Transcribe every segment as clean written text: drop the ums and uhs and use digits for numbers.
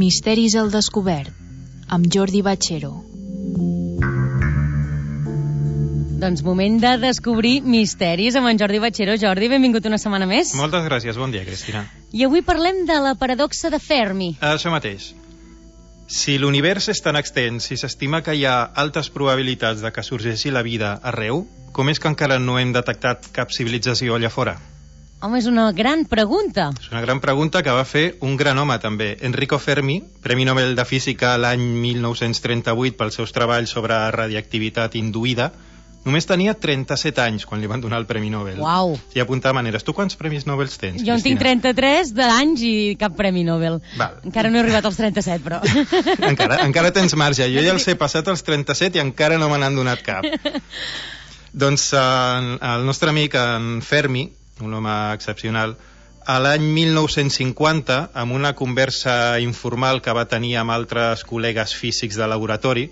Misteris al descobert, amb Jordi Bachero. Doncs moment de descobrir misteris amb en Jordi Bachero. Jordi, benvingut una setmana més. Moltes gràcies, bon dia, Cristina. I avui parlem de la paradoxa de Fermi. Això mateix. Si l'univers és tan extens i s'estima que hi ha altes probabilitats de que sorgeixi la vida arreu, com és que encara no hem detectat cap civilització allà fora? Home, és una gran pregunta. És una gran pregunta que va fer un gran home, també. Enrico Fermi, Premi Nobel de Física l'any 1938 pels seus treballs sobre radioactivitat induïda, només tenia 37 anys quan li van donar el Premi Nobel. Uau! I apuntar maneres. Tu quants premis Nobel tens, Jo en tinc 33 d'anys i cap Premi Nobel. Val. Encara no he arribat als 37, però... encara tens marge. Jo ja els he passat als 37 i encara no me n'han donat cap. Doncs el nostre amic, en Fermi, un home excepcional, a l'any 1950, amb una conversa informal que va tenir amb altres col·legues físics de laboratori,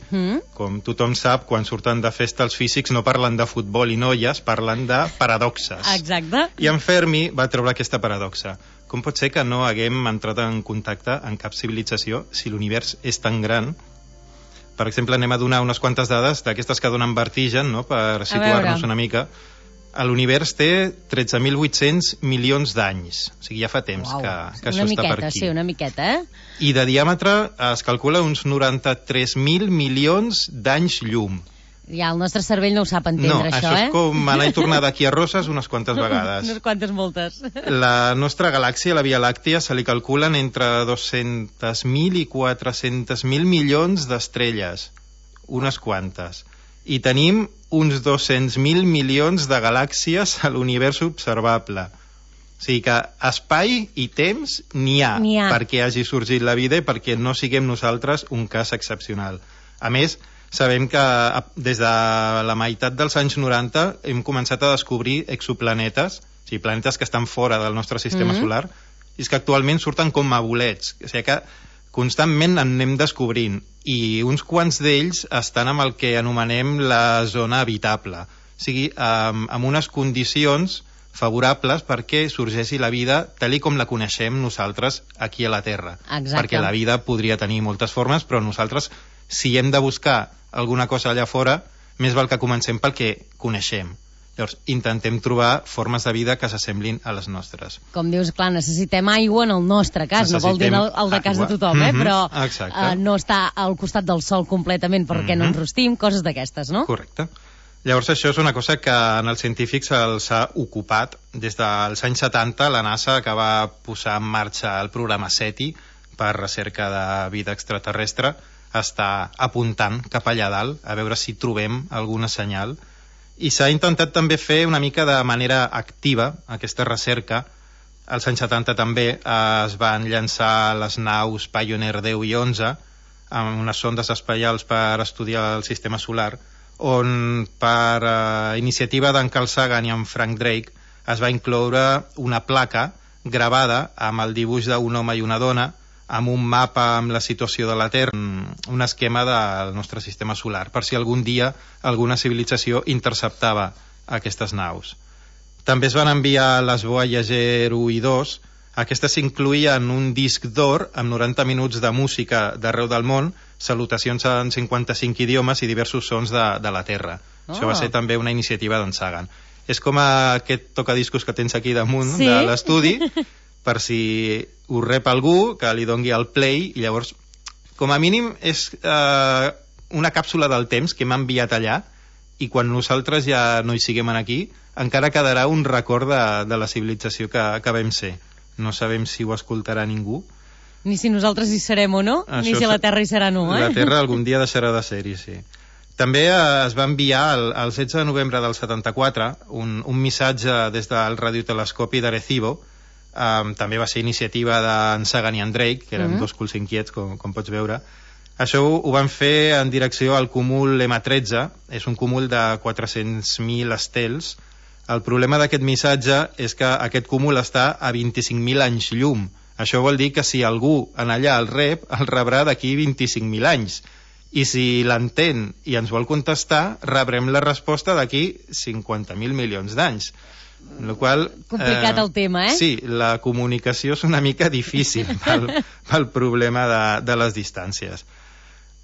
com tothom sap, quan surten de festa els físics no parlen de futbol i noies, parlen de paradoxes. Exacte. I en Fermi va treure aquesta paradoxa. Com pot ser que no haguem entrat en contacte amb cap civilització si l'univers és tan gran? Per exemple, anem a donar unes quantes dades d'aquestes que donen vertigen, no?, per situar-nos una mica. L'univers té 13.800 milions d'anys. O sigui, ja fa temps que això està per aquí. Sí, una miqueta, eh? I de diàmetre es calcula uns 93.000 milions d'anys llum. Ja, el nostre cervell no ho sap entendre, això, és com anar i tornar d'aquí a Roses unes quantes vegades. Unes quantes moltes. La nostra galàxia, la Via Làctia, se li calculen entre 200.000 i 400.000 milions d'estrelles. Unes quantes. I tenim uns 200.000 milions de galàxies a l'univers observable. O sigui que espai i temps n'hi ha perquè hagi sorgit la vida i perquè no siguem nosaltres un cas excepcional. A més, sabem que des de la meitat dels anys 90 hem començat a descobrir exoplanetes, o sigui, planetes que estan fora del nostre sistema solar, i és que actualment surten com a bolets. O sigui que constantment en anem descobrint, i uns quants d'ells estan amb el que anomenem la zona habitable, o sigui, amb unes condicions favorables perquè sorgeixi la vida tal com la coneixem nosaltres aquí a la Terra. Exacte. Perquè la vida podria tenir moltes formes, però nosaltres, si hem de buscar alguna cosa allà fora, més val que comencem pel que coneixem. Llavors, intentem trobar formes de vida que s'assemblin a les nostres. Com dius, clar, necessitem aigua en el nostre cas, no vol dir el de cas de tothom, però no està al costat del sol completament perquè no ens rostim, coses d'aquestes, no? Correcte. Llavors, això és una cosa que en els científics els ha ocupat. Des dels anys 70, la NASA que va posar en marxa el programa SETI per recerca de vida extraterrestre està apuntant cap allà dalt a veure si trobem alguna senyal. I s'ha intentat també fer una mica de manera activa aquesta recerca. Als anys 70 també es van llançar les naus Pioneer 10 i 11 amb unes sondes espacials per estudiar el sistema solar, on per iniciativa d'en Carl Sagan i en Frank Drake es va incloure una placa gravada amb el dibuix d'un home i una dona, amb un mapa amb la situació de la Terra, un esquema del nostre sistema solar, per si algun dia alguna civilització interceptava aquestes naus. També es van enviar les Voyager 1 i 2, aquestes incluïen un disc d'or amb 90 minuts de música d'arreu del món, salutacions en 55 idiomes i diversos sons de la Terra. Això va ser també una iniciativa d'en Sagan. És com aquest tocadiscos que tens aquí damunt de l'estudi, per si ho rep algú, que li dongui el play, i llavors, com a mínim, és una càpsula del temps que m'ha enviat allà, i quan nosaltres ja no hi siguem aquí, encara quedarà un record de la civilització que vam ser. No sabem si ho escoltarà ningú. Ni si nosaltres hi serem o no, ni si la Terra hi serà no, La Terra algun dia deixarà de ser-hi, sí. També es va enviar el 16 de novembre del 74 un missatge des del radiotelescopi d'Arecibo. També va ser iniciativa d'en Sagan i en Drake, que eren dos culs inquiets, com pots veure. Això ho van fer en direcció al cúmul M13, és un cúmul de 400.000 estels. El problema d'aquest missatge és que aquest cúmul està a 25.000 anys llum. Això vol dir que si algú en allà el rep, el rebrà d'aquí 25.000 anys. I si l'entén i ens vol contestar, rebrem la resposta d'aquí 50.000 milions d'anys. Complicat el tema, eh? Sí, la comunicació és una mica difícil pel problema de les distàncies.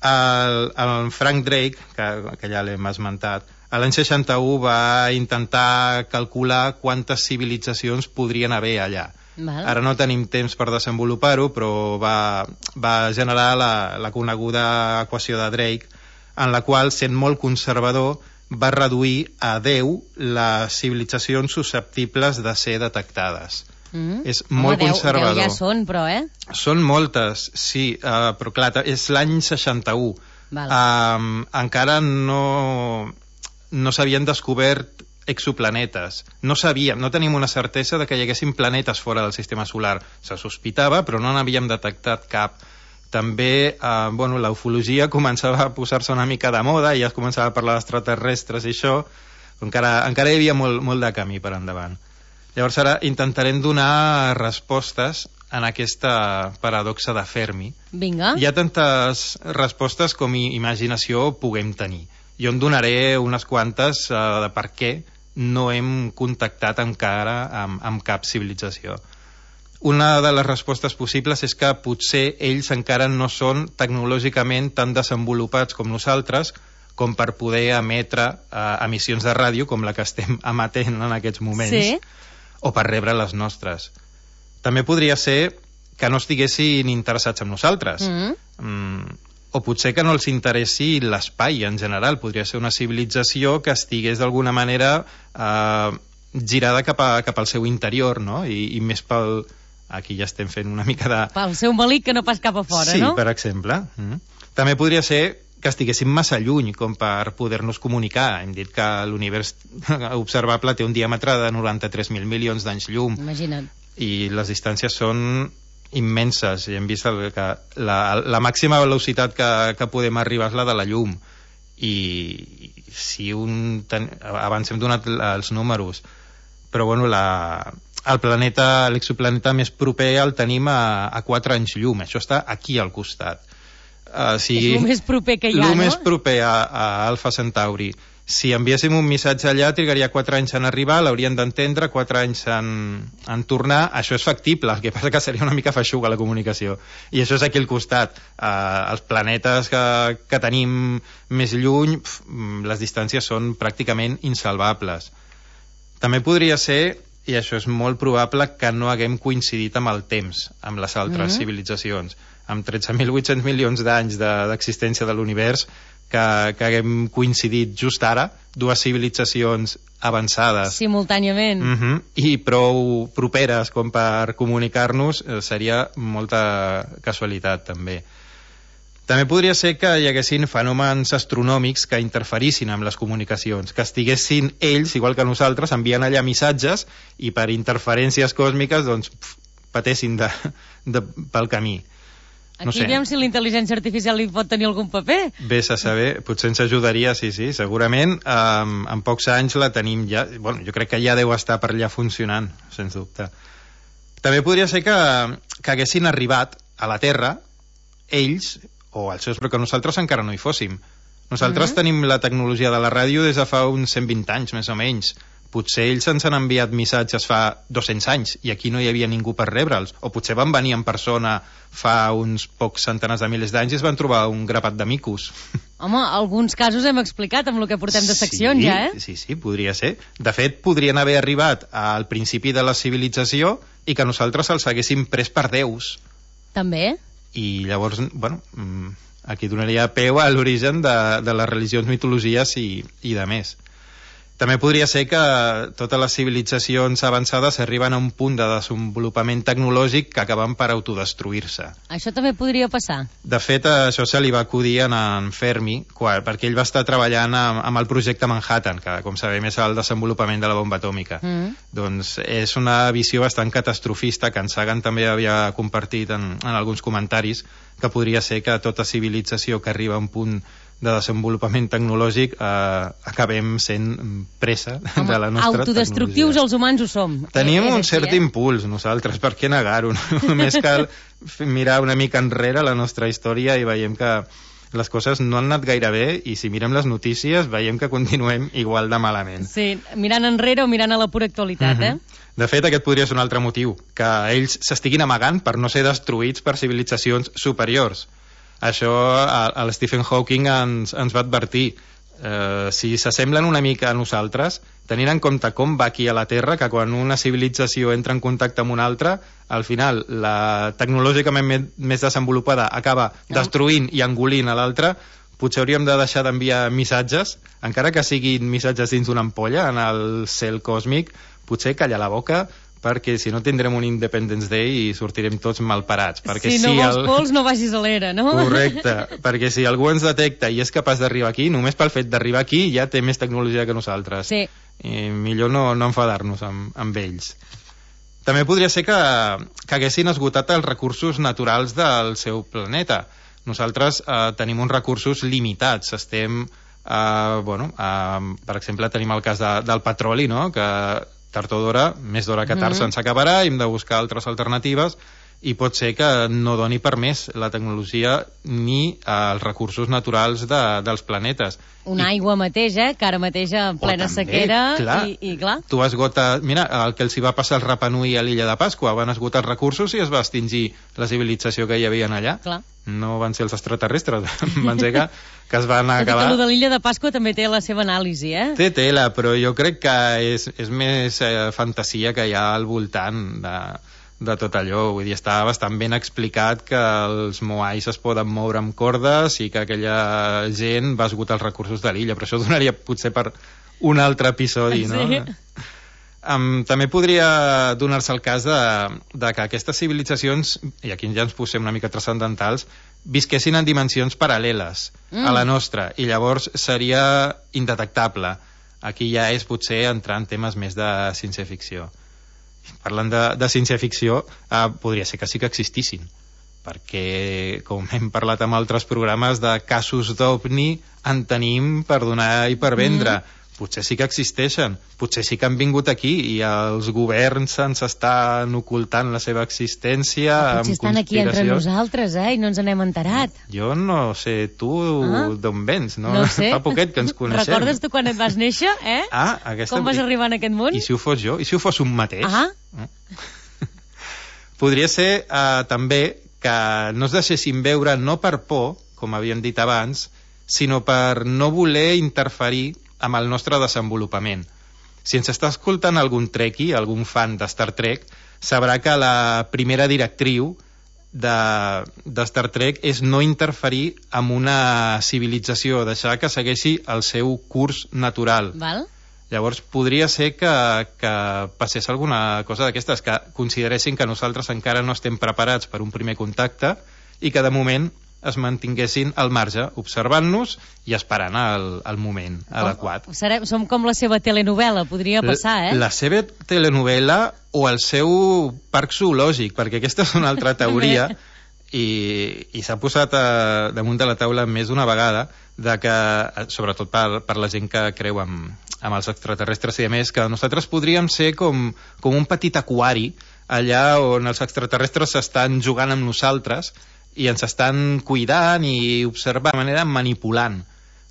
El Frank Drake, que ja l'hem esmentat, l'any 61 va intentar calcular quantes civilitzacions podrien haver allà. Ara no tenim temps per desenvolupar-ho, però va generar la coneguda equació de Drake, en la qual, sent molt conservador, va reduir a 10 les civilitzacions susceptibles de ser detectades. És molt conservador. 10 ja són, però, Són moltes, sí, però clar, és l'any 61. Encara no s'havien descobert exoplanetes. No tenim una certesa de que hi haguessin planetes fora del sistema solar. Se sospitava, però no n'havíem detectat cap. També la ufologia començava a posar-se una mica de moda i ja es començava a parlar d'extraterrestres i això, encara hi havia molt de camí per endavant. Llavors ara intentarem donar respostes en aquesta paradoxa de Fermi. Vinga. Hi ha tantes respostes com imaginació puguem tenir. Jo en donaré unes quantes de per què no hem contactat encara amb cap civilització. Una de les respostes possibles és que potser ells encara no són tecnològicament tan desenvolupats com nosaltres com per poder emetre emissions de ràdio com la que estem emetent en aquests moments, sí, o per rebre les nostres. També podria ser que no estiguessin interessats en nosaltres, o potser que no els interessi l'espai en general. Podria ser una civilització que estigués d'alguna manera girada cap al seu interior, no? I més pel... Aquí ja estem fent una mica de... Pel seu malic que no pas cap a fora, sí, no? Sí, per exemple. També podria ser que estiguéssim massa lluny com per poder-nos comunicar. Hem dit que l'univers observable té un diàmetre de 93.000 milions d'anys llum. Imagina't. I les distàncies són immenses. I hem vist que la màxima velocitat que podem arribar és la de la llum. I si abans hem donat els números, però bueno, l'exoplaneta més proper el tenim a 4 anys llum. Això està aquí al costat. És el més proper que hi ha, no? El més proper a Alfa Centauri. Si enviéssim un missatge allà, trigaria 4 anys en arribar, l'haurien d'entendre, 4 anys en tornar. Això és factible, el que passa que seria una mica feixuga la comunicació. I això és aquí al costat. Els planetes que tenim més lluny, les distàncies són pràcticament insalvables. També podria ser, i això és molt probable, que no haguem coincidit amb el temps, amb les altres civilitzacions. Amb 13.800 milions d'anys d'existència de l'univers, que haguem coincidit just ara, dues civilitzacions avançades. Simultàniament. I prou properes com per comunicar-nos, seria molta casualitat, també. També podria ser que hi haguessin fenòmens astronòmics que interferissin amb les comunicacions, que estiguessin ells, igual que nosaltres, enviant allà missatges i per interferències còsmiques doncs, patessin pel camí. No sé. Aquí veiem si la intel·ligència artificial hi pot tenir algun paper. Vés a saber, potser ens ajudaria, sí, segurament. En pocs anys la tenim ja, bueno, jo crec que ja deu estar per allà funcionant, sens dubte. També podria ser que haguessin arribat a la Terra ells o els seus, però que nosaltres encara no hi fóssim. Nosaltres tenim la tecnologia de la ràdio des de fa uns 120 anys, més o menys. Potser ells ens han enviat missatges fa 200 anys i aquí no hi havia ningú per rebre'ls. O potser van venir en persona fa uns pocs centenars de milers d'anys i es van trobar un grapat de micos. Home, alguns casos hem explicat amb el que portem de seccions, ja, eh? Sí, podria ser. De fet, podrien haver arribat al principi de la civilització i que nosaltres els haguéssim pres per déus. També. I llavors, bueno, aquí donaria peu a l'origen de les religions, mitologies i de més. També podria ser que totes les civilitzacions avançades arriben a un punt de desenvolupament tecnològic que acaben per autodestruir-se. Això també podria passar. De fet, això se li va acudir en Fermi, perquè ell va estar treballant amb el projecte Manhattan, que, com sabem, és el desenvolupament de la bomba atòmica. Doncs és una visió bastant catastrofista, que en Sagan també havia compartit en alguns comentaris, que podria ser que tota civilització que arriba a un punt de desenvolupament tecnològic acabem sent presa de la nostra autodestructius tecnologia. Els humans ho som. Tenim un cert impuls nosaltres, per què negar-ho? Només cal mirar una mica enrere la nostra història i veiem que les coses no han anat gaire bé i si mirem les notícies veiem que continuem igual de malament. Sí, mirant enrere o mirant a la pura actualitat, De fet, aquest podria ser un altre motiu, que ells s'estiguin amagant per no ser destruïts per civilitzacions superiors. Això el Stephen Hawking ens va advertir. Si s'assemblen una mica a nosaltres, tenint en compte com va aquí a la Terra, que quan una civilització entra en contacte amb una altra, al final la tecnològicament més desenvolupada acaba destruint i engolint a l'altra, potser hauríem de deixar d'enviar missatges, encara que siguin missatges dins d'una ampolla en el cel còsmic, potser callar la boca, perquè si no tindrem un Independence Day i sortirem tots malparats. Si no vols pols, no vagis a l'era, no? Correcte, perquè si algú ens detecta i és capaç d'arribar aquí, només pel fet d'arribar aquí ja té més tecnologia que nosaltres. Sí. I millor no enfadar-nos amb ells. També podria ser que haguessin esgotat els recursos naturals del seu planeta. Nosaltres tenim uns recursos limitats. Estem, per exemple, tenim el cas del petroli, no?, que tard o d'hora, més d'hora que tard se'ns acabarà, hem de buscar altres alternatives i pot ser que no doni per més la tecnologia ni els recursos naturals dels planetes. Una aigua mateix, que ara mateix en plena sequera, i clar. Tu esgotes... Mira, el que els hi va passar al Rapa Nui a l'illa de Pasqua, van esgotar els recursos i es va extingir la civilització que hi havia allà. Clar. No van ser els extraterrestres, van ser que es van acabar... Tot el de l'illa de Pasqua també té la seva anàlisi, Té tela, però jo crec que és més fantasia que hi ha al voltant de tot allò. Vull dir, està bastant ben explicat que els moais es poden moure amb cordes i que aquella gent va esgotar els recursos de l'illa, però això donaria potser per un altre episodi, no? Sí. També podria donar-se el cas de que aquestes civilitzacions, i aquí ja ens posem una mica transcendentals, visquessin en dimensions paral·leles a la nostra, i llavors seria indetectable. Aquí ja és potser entrar en temes més de ciència-ficció. Parlant de ciència-ficció, podria ser que sí que existissin, perquè, com hem parlat amb altres programes, de casos d'OVNI en tenim per donar i per vendre. Potser sí que existeixen, potser sí que han vingut aquí i els governs ens estan ocultant la seva existència amb conspiracions. Potser estan aquí entre nosaltres, i no ens n'hem enterat. Jo no sé, tu d'on vens, no? No sé. Fa poquet que ens coneixem. Recordes tu quan et vas néixer, Com vas arribar en aquest món? I si ho fos jo? I si ho fos un mateix? Podria ser també que no es deixessin veure no per por, com havíem dit abans, sinó per no voler interferir amb el nostre desenvolupament. Si ens està escoltant algun trekkie, algun fan de Star Trek, sabrà que la primera directriu de Star Trek és no interferir amb una civilització, deixar que segueixi el seu curs natural. Val. Llavors podria ser que passés alguna cosa d'aquestes, que consideressin que nosaltres encara no estem preparats per un primer contacte i que de moment es mantinguessin al marge, observant-nos i esperant el moment adequat. Som com la seva telenovela, podria passar, La seva telenovela o el seu parc zoològic, perquè aquesta és una altra teoria i s'ha posat damunt de la taula més d'una vegada, de que, sobretot per la gent que creu amb els extraterrestres i a més, que nosaltres podríem ser com un petit aquari allà on els extraterrestres s'estan jugant amb nosaltres i ens estan cuidant i observant de manera manipulant,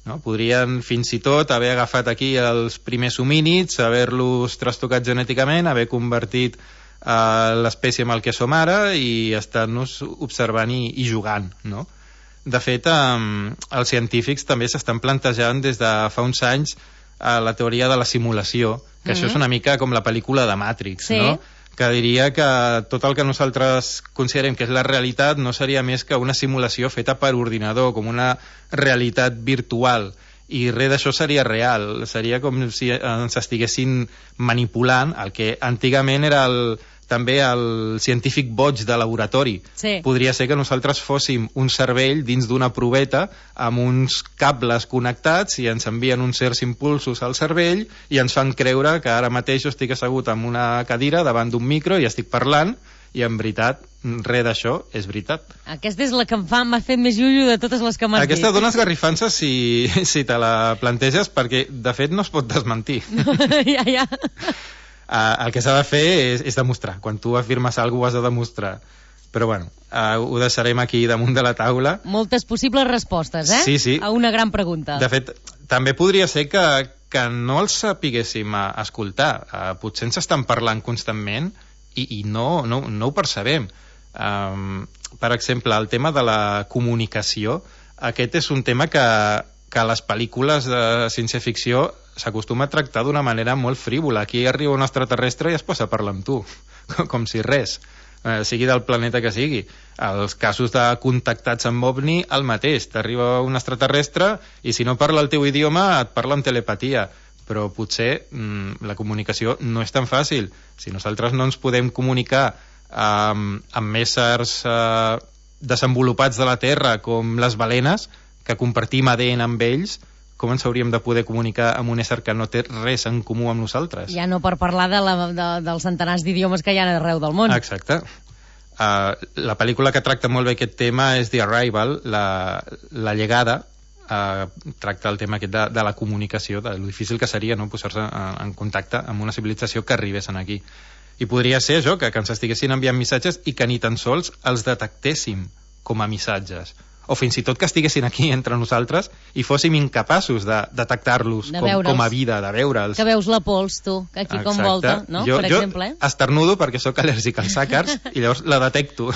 no? Podrien fins i tot haver agafat aquí els primers homínids, haver-los trastocat genèticament, haver convertit l'espècie amb el que som ara i estar-nos observant i jugant, no? De fet, els científics també s'estan plantejant des de fa uns anys la teoria de la simulació, que això és una mica com la pel·lícula de Matrix, no? Que diria que tot el que nosaltres considerem que és la realitat no seria més que una simulació feta per ordinador, com una realitat virtual, i res d'això seria real, seria com si ens estiguessin manipulant el que antigament era també el científic boig de laboratori. Sí. Podria ser que nosaltres fóssim un cervell dins d'una proveta amb uns cables connectats i ens envien uns certs impulsos al cervell i ens fan creure que ara mateix jo estic assegut en una cadira davant d'un micro i estic parlant i en veritat res d'això és veritat. Aquesta és la que m'ha fet més llullo de totes les que m'has dit. Aquesta dona esgarrifances si te la planteges, perquè de fet no es pot desmentir. Ja. El que s'ha de fer és demostrar. Quan tu afirmes alguna cosa has de demostrar. Però bueno, ho deixarem aquí damunt de la taula. Moltes possibles respostes, Sí. A una gran pregunta. De fet, també podria ser que no els sapiguéssim escoltar. Potser ens estan parlant constantment i no ho percebem. Per exemple, el tema de la comunicació, aquest és un tema que a les pel·lícules de ciència-ficció s'acostuma a tractar d'una manera molt frívola. Aquí arriba un extraterrestre i es posa a parlar amb tu, com si res, sigui del planeta que sigui. Els casos de contactats amb OVNI, el mateix. T'arriba un extraterrestre i si no parla el teu idioma et parla amb telepatia. Però potser la comunicació no és tan fàcil. Si nosaltres no ens podem comunicar amb éssers desenvolupats de la Terra com les balenes, que compartim ADN amb ells, com ens hauríem de poder comunicar amb un ésser que no té res en comú amb nosaltres? Ja no per parlar dels centenars d'idiomes que hi ha arreu del món. Exacte. La pel·lícula que tracta molt bé aquest tema és The Arrival, la llegada, tracta el tema aquest de la comunicació, de lo difícil que seria, no?, posar-se en contacte amb una civilització que arribessin aquí. I podria ser això, que ens estiguessin enviant missatges i que ni tan sols els detectéssim com a missatges, o fins i tot que estiguessin aquí entre nosaltres i fóssim incapaços de detectar-los com a vida, de veure'ls. Que veus la pols, tu, que aquí com volta, no? Per exemple. Jo esternudo perquè sóc al·lèrgic als àcars i llavors la detecto.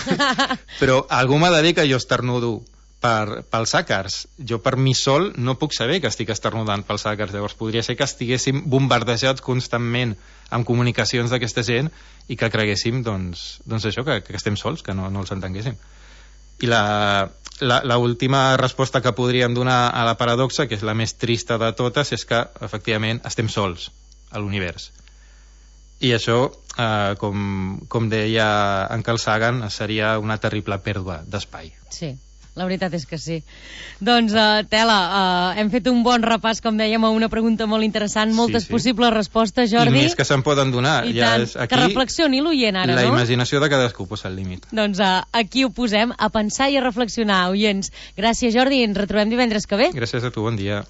Però algú m'ha de dir que jo esternudo pels àcars. Jo per mi sol no puc saber que estic esternudant pels àcars. Llavors podria ser que estiguéssim bombardejats constantment amb comunicacions d'aquesta gent i que creguéssim, doncs això, que estem sols, que no els entenguéssim. I l'última resposta que podríem donar a la paradoxa, que és la més trista de totes, és que efectivament estem sols a l'univers. I això, com deia en Carl Sagan, seria una terrible pèrdua d'espai. Sí, la veritat és que sí. Doncs, Tela, hem fet un bon repàs, com dèiem, a una pregunta molt interessant, moltes possibles respostes, Jordi. I més que se'n poden donar. I tant, que reflexioni l'oient ara, no? La imaginació de cadascú posa el límit. Doncs aquí ho posem, a pensar i a reflexionar, oients. Gràcies, Jordi, ens retrobem divendres que ve. Gràcies a tu, bon dia.